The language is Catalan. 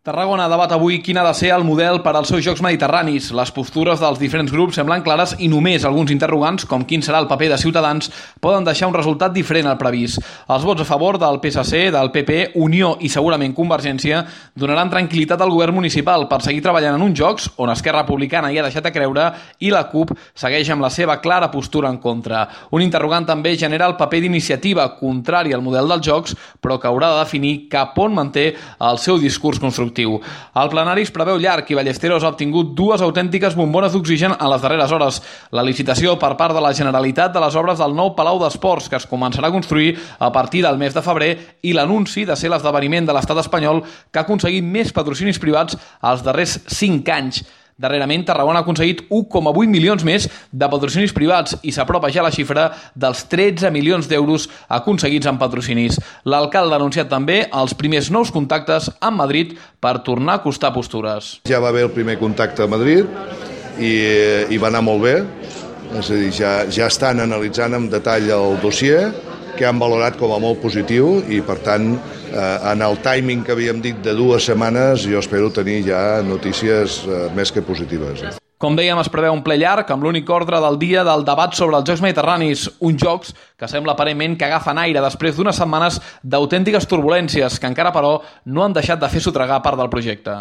Tarragona debat avui quin ha de ser el model per als seus Jocs Mediterranis. Les postures dels diferents grups semblen clares i només alguns interrogants, com quin serà el paper de Ciutadans, poden deixar un resultat diferent al previst. Els vots a favor del PSC, del PP, Unió i segurament Convergència donaran tranquil·litat al govern municipal per seguir treballant en uns Jocs on Esquerra Republicana hi ha deixat a creure i la CUP segueix amb la seva clara postura en contra. Un interrogant també genera el paper d'Iniciativa, contrari al model dels Jocs, però que haurà de definir cap on manté el seu discurs constructiu. El plenari es preveu llarg i Ballesteros ha obtingut dues autèntiques bombones d'oxigen en les darreres hores. La licitació per part de la Generalitat de les obres del nou Palau d'Esports, que es començarà a construir a partir del mes de febrer, i l'anunci de ser l'esdeveniment de l'estat espanyol que ha aconseguit més patrocinis privats els darrers 5 anys. Darrerament, Tarragona ha aconseguit 1,8 milions més de patrocinis privats i s'apropa ja la xifra dels 13 milions d'euros aconseguits en patrocinis. L'alcalde ha anunciat també els primers nous contactes amb Madrid per tornar a acostar postures. Ja va haver el primer contacte a Madrid i va anar molt bé. És a dir, ja estan analitzant amb detall el dossier, que han valorat com a molt positiu i, per tant, en el timing que havíem dit de 2 setmanes, jo espero tenir ja notícies més que positives. Com dèiem, es preveu un ple llarg amb l'únic ordre del dia del debat sobre els Jocs Mediterranis, uns Jocs que sembla aparentment que agafen aire després d'unes setmanes d'autèntiques turbulències que encara, però, no han deixat de fer sotragar part del projecte.